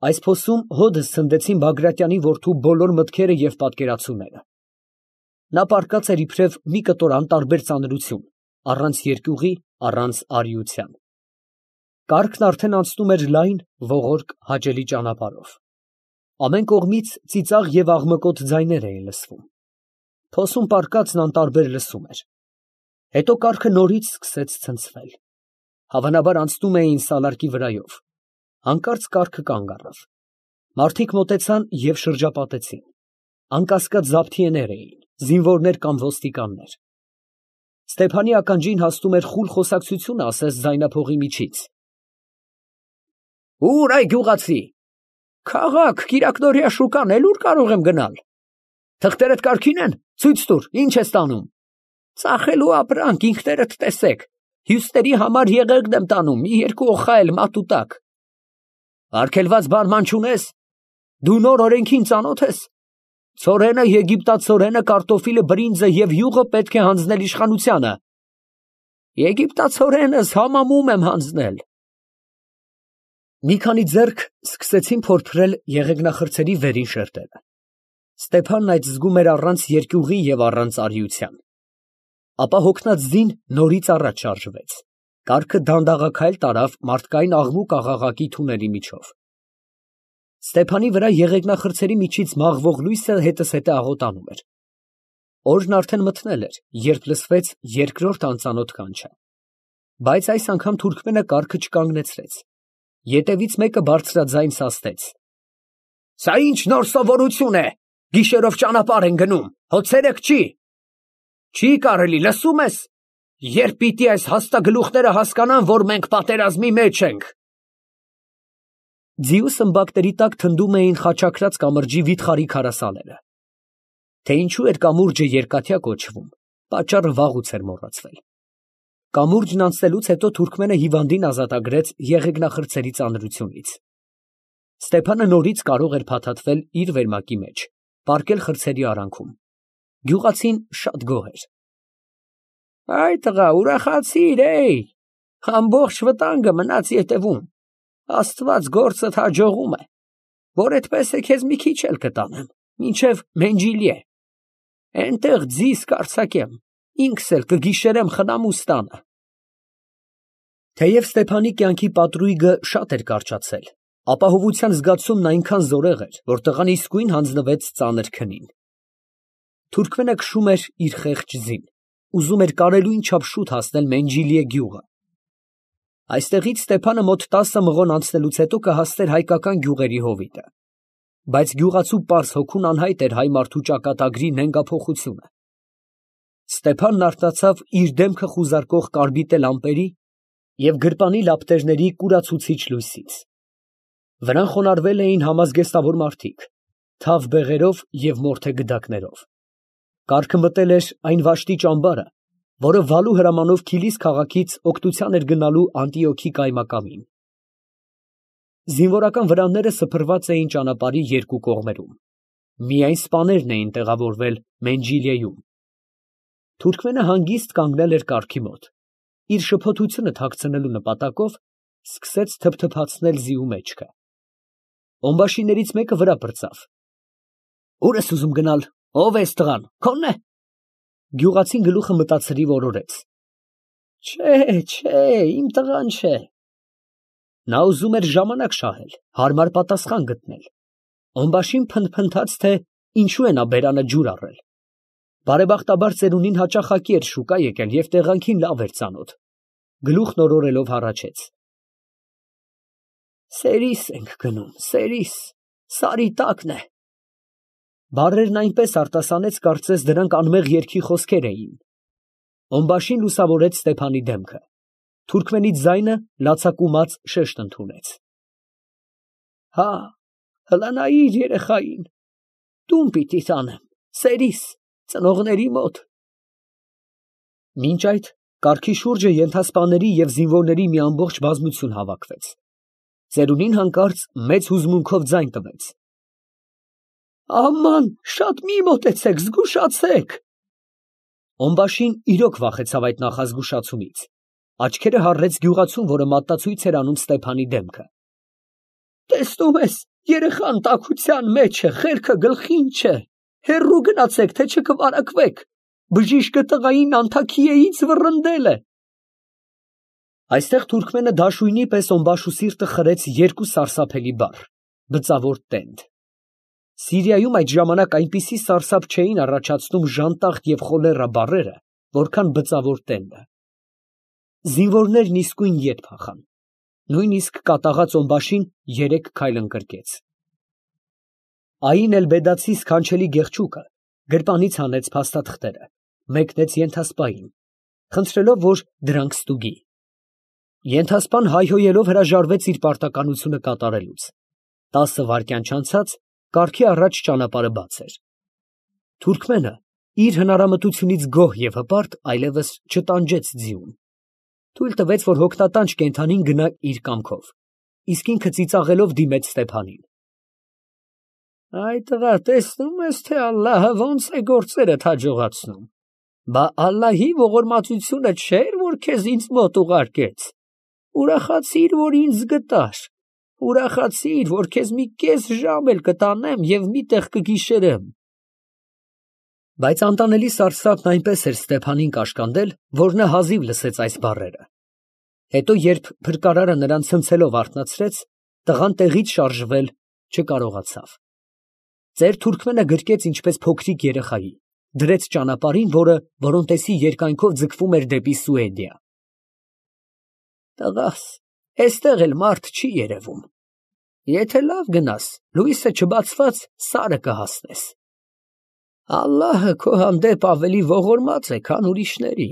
Այս փոսում հօդս ցնդեցին Բագրատյանի որդու բոլոր մտքերը և պատկերացումները. նա պառկած էր իբրև մի կտոր անտարբեր ծանրություն, առանց երկյուղի, առանց արիության. կառքն արդեն անցնում էր լայն, ողորկ, հաճելի ճանապարհով. ամեն կողմից ծիծաղ և աղմկոտ ձայներ էին լսվում. փոսում պառկածն անտարբեր լսում էր. հետո կառքը նորից սկսեց ցնցվել. հավանաբար անցնում էին սալարկի վրայով. հանկարծ կառքը կանգ առավ. մարդիկ մոտեցան և շրջապատեցին. անկասկած զաբթիեներ էին, զինվորներ կամ ոստիկաններ. Ստեփանի ականջին հասնում էր խուլ խոսակցությունը ասես ձայնափողի միջից. Ո՞ւր այ գյուղացի, քաղաք, Կիրակնորիա շուկան, էլ ուր կարող եմ գնալ, թղթերդ կարգին են, ցույց տուր, ինչ ես տանում, ծախելու ապրանք, ինքներդ տեսեք, հյուսների համար եղեգն եմ տանում, մի երկու օխա էլ մատուտակ, արգելված բան չունես, դու նոր օրենքին ծանոթ ես, ցորենը, եգիպտացորենը, կարտոֆիլը, բրինձը և յուղը պետք է հանձնել իշխանությանը, եգիպտացորենս համամում եմ հանձնել։ Մի քանի ձեռք սկսեցին փորփրել եղեգնախրցերի վերին շերտերը. Ստեփանն այդ զգում էր առանց երկյուղի և առանց արիության։ Ապա հոգնած ձին նորից առաջ շարժվեց. կառքը դանդաղաքայլ տարավ մարդկային աղմուկ աղաղակի թունելի միջով։ Ստեփանի վրա եղեգնախրցերի միջից մաղվող լույսը հետզհետե աղոտանում էր։ Օրն արդեն մթնել էր, երբ լսվեց երկրորդ անծանոթ կանչը։ Բայց այս անգամ թուրքմենը կառքը չկանգնեցրեց։ Ետևից մեկը բարձրաձայն սաստեց. Սա ի՞նչ նոր սովորություն է, գիշերով ճանապարհ են գնում, հո ցերեկ չի։ Չի կարելի, լսում ես, երբ պիտի այս հաստագլուխները հասկանան, որ մենք պատերազմի մեջ ենք։ Ձիու սմբակների տակ թնդում էին խաչակրած կամրջի վիթխարի քարասաները։ Թե ինչու էր կամուրջը երկաթյա կոչվում, պատճառը վաղուց էր մոռացվել։ Կամուրջն անցնելուց հետո թուրքմենը հիվանդին ազատագրեց եղեգնախրցերի ծանրությունից։ Ստեփանը նորից կարող էր փաթաթվել իր վերմակի մեջ, պառկել խրցերի արանքում։ Գյուղացին շատ գոհ էր։ Այ տղա, ուրախացիր, ամբողջ վտանգը մնաց ետևում, Աստված գործդ հաջողում է, որ այդպես է քեզ մի քիչ էլ կտանեմ, մինչև Մենջիլիե, այնտեղ ձիզ կարձակեմ, ինքս էլ կգիշերեմ խնամուստանը։ Թեև Ստեփանի կյանքի պատրույգը շատ էր կարճացել, ապահովության զգացումն այնքան զորեղ էր, որ տղան իսկույն հանձնվեց ծանր քնին։ Թուրքմենը քշում էր իր խեղճ ձին, ուզում էր կարելույն չափ շուտ հասնել Մենջիլիե գյուղը։ Այստեղից Ստեփանը մոտ 10 մղոն անցնելուց հետո կհասներ հայկական գյուղերի հովիտը։ Բայց գյուղացու պարզ հոգուն անհայտ էր հայ մարդու ճակատագրի նենգափոխությունը։ Ստեփանն արթնացավ իր դեմքը խուզարկող կարմիտե լամպերի և գրպանի լապտերների կուրացուցիչ լույսից։ Վրան խոնարհվել էին համազգեստավոր մարդիկ, թավ բեղերով և մորթե գդակներով։ Կառքը մտել էր այն վաշտի ճամբարը, որը Վալու հրամանով Քիլիս քաղաքից օգնության էր գնալու Անտիոքի կայմակամին։ Զինվորական վրանները սփռված էին ճանապարհի երկու կողմերում։ Միայն սպաներն էին տեղավորվել Մենջիլիեում։ Թուրքմենը հանգիստ կանգնել էր կառքի մոտ։ Իր շփոթությունը թաքցնելու նպատակով սկսեց թփթփացնել ձիու մեջքը։ Օմբաշիներից մեկը վրա պրծավ. Ո՞ւր ես ուզում գնալ, ո՞վ է տղան, քո՞նն է։ Գյուղացին գլուխը մտածրի որորեց. Չէ, իմ տղան չէ։ Նա ուզում էր ժամանակ շահել, հարմար պատասխան գտնել։ Օմբաշին փնթփնթաց, թե ինչու է նա բերանը ջուր առել։ Բարեբախտաբար ծերունին հաճախակի էր շուկա եկել և տեղանքին լավ էր ծանոթ։ Գլուխն օրորելով հառաչեց. Սերիս ենք գնում, սերիս, սարի տակն է։ Բառերն այնպես արտասանեց, կարծես դրանք անմեղ երգի խոսքեր էին։ Օմբաշին լուսավորեց Ստեփանի դեմքը։ Թուրքմենի ձայնը լացակումած շեշտ ընդունեց. Հա, հլանայիր երեխային, տուն պիտի տանեմ, սերիս, ծնողների մոտ։ Մինչ այդ կառքի շուրջը ենթասպաների և զինվորների մի ամբողջ բազմություն հավաքվեց։ Ծերունին հանկարծ մեծ հուզմունքով ձայն տվեց. Աման, շատ մի մոտեցեք, զգուշացեք։ Օմբաշին իրոք վախեցավ այդ նախազգուշացումից։ Աչքերը հառեց գյուղացուն, որը մատնացույց էր անում Ստեփանի դեմքը։ Տեսնում ես, երեխան տաքության մեջ է, խելքը գլխին չէ, հեռու գնացեք, թե չկվարակվեք, բժիշկը տղային անթաքիեից վռնդել է։ Այստեղ թուրքմենը դաշույնի պես օմբաշուսիրտը խրեց երկու սարսափելի բառ, բծավոր տենդ։ Սիրիայում այդ ժամանակ այնպիսի սարսափ չէին առաջացնում ժանտախտ և խոլերա բառերը, որքան բծավոր տենդը։ Զինվորներն իսկույն ետ փախան։ Նույնիսկ կատաղած օմբաշին 3 քայլ ընկրկեց։ Այն էլ-Բեդացի սքանչելի գեղչուկը գրպանից հանեց փաստաթղթերը, մեկնեց ենթասպային, խնդրելով, որ դրանք ստուգի։ Ենթասպան հայհոյելով հրաժարվեց իր պարտականությունը կատարելուց։ 10 վայրկյան չանցած կառքի առաջ ճանապարհը բաց էր։ Թուրքմենը իր հնարամտությունից գոհ և հպարտ այլևս չտանջեց ձիուն։ Թույլ տվեց, որ հոգնատանջ կենդանին գնա իր կամքով, իսկ ինքը ծիծաղելով դիմեց Ստեփանին։ Այ տղա, տեսնում ես, թե Ալլահը ոնց է գործերդ հաջողացնում։ Բա Ալլահի ողորմածությունը չէր, որ քեզ ինձ մոտ ուղարկեց։ Ուրախացիր, որ ինձ գտար։ Ուրախացիր, որ քեզ մի կես ժամ էլ կտանեմ և մի տեղ կգիշերեմ։ Բայց անտանելի սարսափն այնպես էր Ստեփանին կաշկանդել, որ նա հազիվ լսեց այս բառերը։ Հետո, երբ փրկարարը նրան ցնցելով արթնացրեց, տղան տեղից շարժվել չկարողացավ։ Ծեր Թուրքմենը գրկեց ինչպես փոքրիկ երեխայի, դրեց ճանապարհին, որը Որոնտեսի երկայնքով ձգվում էր դեպի Սուեդիա։ Տղաս, էստեղ էլ մարդ չի երևում։ Եթե լավ գնաս, լույսը չբացված սարը կհասնես։ Ալլահը քո հանդեպ ավելի ողորմած է, քան ուրիշների։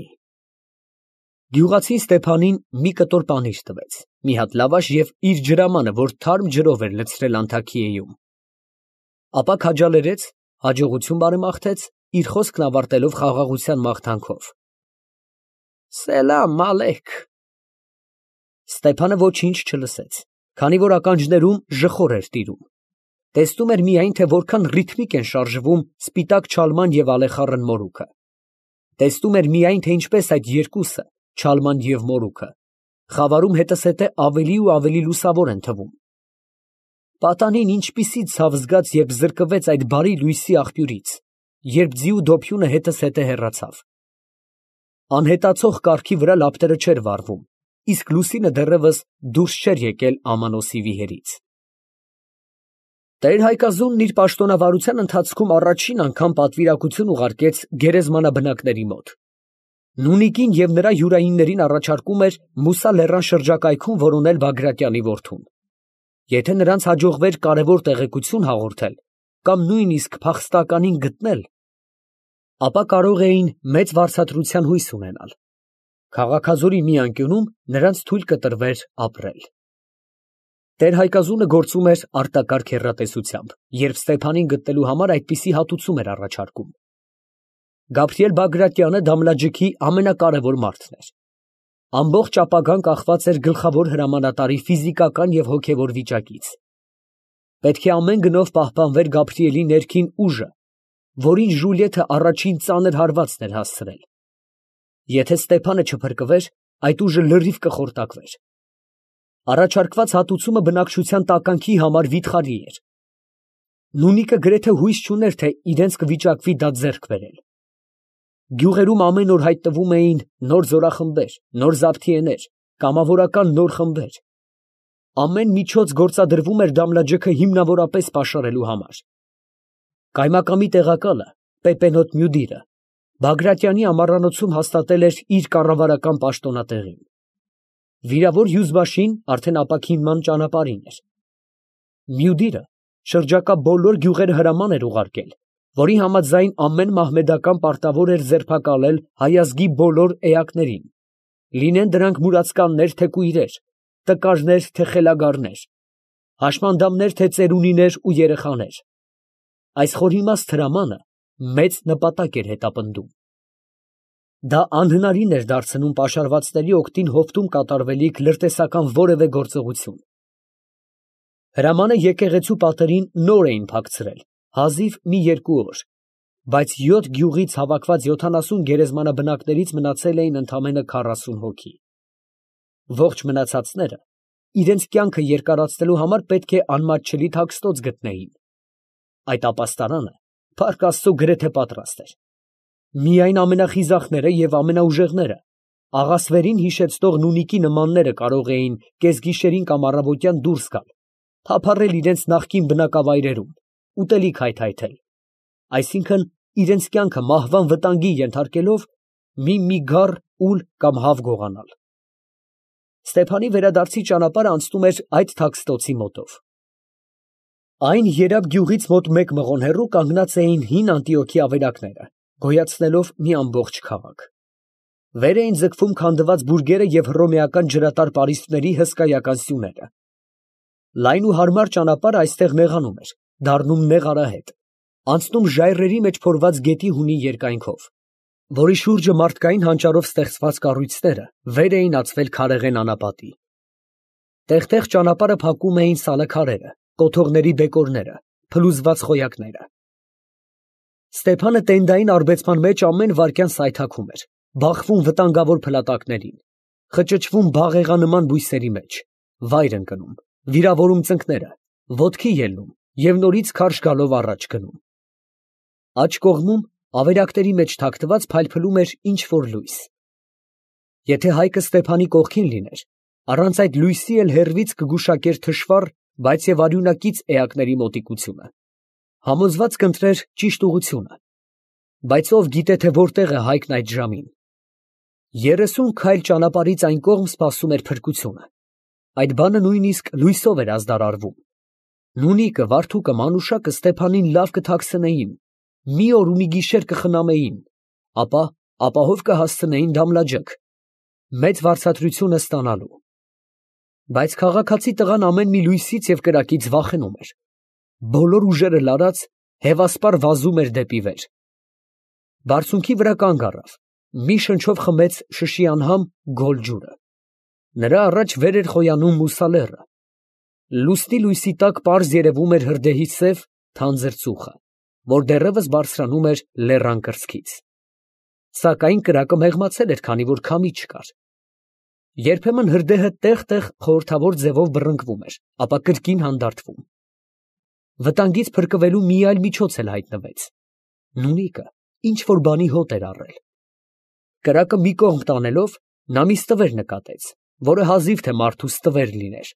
Գյուղացին Ստեփանին մի կտոր պանիր տվեց, մի հատ լավաշ և իր ջրամանը, որ թարմ ջրով էր լցրել անթաքիեում։ Ապա քաջալերեց, հաջողություն բարեմաղթեց, իր խոսքն ավարտելով խաղաղության մաղթանքով։ Սելամ ալեյք։ Ստեփանը ոչինչ չլսեց, քանի որ ականջներում ժխոր էր տիրում։ Տեսնում էր միայն, թե որքան ռիթմիկ են շարժվում սպիտակ չալման և ալեխառն մորուքը։ Տեսնում էր միայն, թե ինչպես այդ երկուսը, չալման և մորուքը, խավարում հետզհետե ավելի ու ավելի լուսավոր են թվում։ Պատանին ինչպիսի ցավ զգաց, երբ զրկվեց այդ բարի լույսի աղբյուրից, երբ ձիու դոփյունը հետզհետե հեռացավ։ Անհետացող կառքի վրա լապտերը չէր վառվում, իսկ լուսինը դեռևս դուրս չէր եկել Ամանոսի վիհերից։ Տեր Հայկազունն իր պաշտոնավարության ընթացքում առաջին անգամ պատվիրակություն ուղարկեց գերեզմանաբնակների մոտ։ Նունիկին և նրա յուրայիններին առաջարկում էր Մուսա լեռան շրջակայքում որոնել Բագրատյանի որդուն։ Եթե նրանց հաջողվեր կարևոր տեղեկություն հաղորդել կամ նույնիսկ փախստականին գտնել, ապա կարող էին մեծ վարձատրության հույս ունենալ։ Քաղաքազորի մի անկյունում նրանց թույլ կտրվեր ապրել։ Տեր Հայկազունը գործում էր արտակարգ հեռատեսությամբ, երբ Ստեփանին գտնելու համար այդպիսի հատուցում էր առաջարկում։ Գաբրիել Բագրատյանը Դամլաջիքի ամենակարևոր մարդն էր։ Ամբողջ ապագան կախված էր գլխավոր հրամանատարի ֆիզիկական և հոգևոր վիճակից։ Պետք է ամեն գնով պահպանվեր Գաբրիելի ներքին ուժը, որին Ժուլիեթը առաջին ծանր հարվածն էր հասցրել։ Եթե Ստեփանը չփրկվեր, այդ ուժը լրիվ կխորտակվեր։ Առաջարկված հատուցումը բնակչության տականքի համար վիթխարի էր։ Նունիկը գրեթե հույս չուներ, թե իրենց կվիճակվի դա ձեռք բերել։ Գյուղերում ամեն օր հայտնվում էին նոր զորախմբեր, նոր զավթիեներ, կամավորական նոր խմբեր։ Ամեն միջոց գործադրվում էր Դամլաջիքը հիմնավորապես պաշարելու համար։ Կայմակամի տեղակալը Պեպենոտ Մյուդիրը Բագրատյանի ամառանոցում հաստատել էր իր կառավարական պաշտոնատեղին։ Վիրավոր հյուզբաշին արդեն ապաքինման ճանապարհին էր։ Մյուդիրը շրջակա բոլոր գյուղերը հրաման էր ուղարկել, որի համաձայն ամեն մահմեդական պարտավոր էր ձերբակալել հայազգի բոլոր էակներին, լինեն դրանք մուրացկաններ, թե կույրեր, տկարներ, թե խելագարներ, հաշմանդամներ, թե ծերունիներ ու երեխաներ։ Այս խորիմաստ հրամանը մեծ նպատակ էր հետապնդում։ Դա անհնարին էր դարձնում պաշարվածների օգտին հովտում կատարվելիք լրտեսական որևէ գործողություն։ Հրամանը եկեղեցու պատերին նոր էին փակցրել, հազիվ մի 2 օր, բայց 7 գյուղից հավաքված 70 գերեզմանաբնակներից մնացել էին ընդամենը 40 հոգի։ Ողջ մնացածները իրենց կյանքը երկարացնելու համար պետք է անմատչելի թաքստոց գտնեին։ Այդ ապաստարանը, փառք Աստծո, գրեթե պատրաստ էր։ Միայն ամենախիզախները և ամենաուժեղները, աղասվերին հիշեցնող նունիկի նմանները կարող էին կեսգիշերին կամ առավոտյան դուրս գալ, թափառել իրենց նախկին բնակավայրերում, ուտելիք հայթայթել, այսինքն իրենց կյանքը մահվան վտանգի ենթարկելով մի գառ, ուլ կամ հավ գողանալ։ Ստեփանի վերադարձի ճանապարհը անցնում էր այդ թաքստոցի մոտով։ Այն երակ գյուղից մոտ 1 մղոն հեռու կանգնած էին հին Անտիոքի ավերակները, գոյացնելով մի ամբողջ քաղաք։ Վեր էին ձգվում քանդված բուրգերը և հռոմեական ջրատար պարիսպների հսկայական սյուները։ Լայն ու հարմար ճանապարհը այստեղ նեղանում էր, դառնում նեղ արահետ, անցնում ժայռերի մեջ փորված գետի հունի երկայնքով, որի շուրջը մարդկային հանճարով ստեղծված կառույցները վեր էին ածվել քարեղեն անապատի։ Տեղ֊տեղ ճանապարհը փակում էին սալաքարերը, կոթողների բեկորները, փլուզված խոյակները։ Ստեփանը տենդային արբեցման մեջ ամեն վայրկյան սայթաքում էր, բախվում վտանգավոր փլատակներին, խճճվում բաղեղանման բույսերի մեջ, վայր ընկնում, վիրավորում ծնկները, ոտքի ելնում և նորից քարշ գալով առաջ գնում։ Աջ կողմում ավերակների մեջ թաքնված փայլփլում էր ինչ֊որ լույս։ Եթե Հայկը Ստեփանի կողքին լիներ, առանց այդ լույսի էլ հեռվից կգուշակեր թշվառ, բայց և արյունակից էակների մոտիկությունը, համոզված կընտրեր ճիշտ ուղղությունը, բայց ով գիտե, թե որտեղ է Հայկն այդ ժամին։ 30 քայլ ճանապարհից այն կողմ սպասում էր փրկությունը, այդ բանը նույնիսկ լույսով էր ազդարարվում։ Նունիկը, Վարդուկը, Մանուշակը Ստեփանին լավ կթաքցնեին, մի օր ու մի գիշեր կխնամեին, ապա ապահով կհասցնեին Դամլաջեկ, մեծ վարձատրությունը ստանալու։ Բայց քաղաքացի տղան ամեն մի լույսից և կրակից վախենում էր։ Բոլոր ուժերը լարած, հևասպառ վազում էր դեպի վեր։ Բարձունքի վրա կանգ առավ, մի շնչով խմեց շշի անհամ գոլ ջուրը։ Նրա առաջ վեր էր խոյանում Մուսա լեռը։ Լուսնի լույսի տակ պարզ երևում էր հրդեհի սև, թանձր ծուխը, որ դեռևս բարձրանում էր լեռան կրծքից։ Սակայն կրակը մեղմացել էր, քանի որ քամի չկար։ Երբեմն հրդեհը տեղ֊տեղ խորհրդավոր ձևով բռնկվում էր, ապա կրկին հանդարտվում։ Վտանգից փրկվելու մի այլ միջոց էլ հայտնվեց։ Նունիկը ինչ֊որ բանի հոտ էր առել։ Կրակը մի կողմ տանելով, նա մի ստվեր նկատեց, որը հազիվ թե մարդու ստվեր լիներ։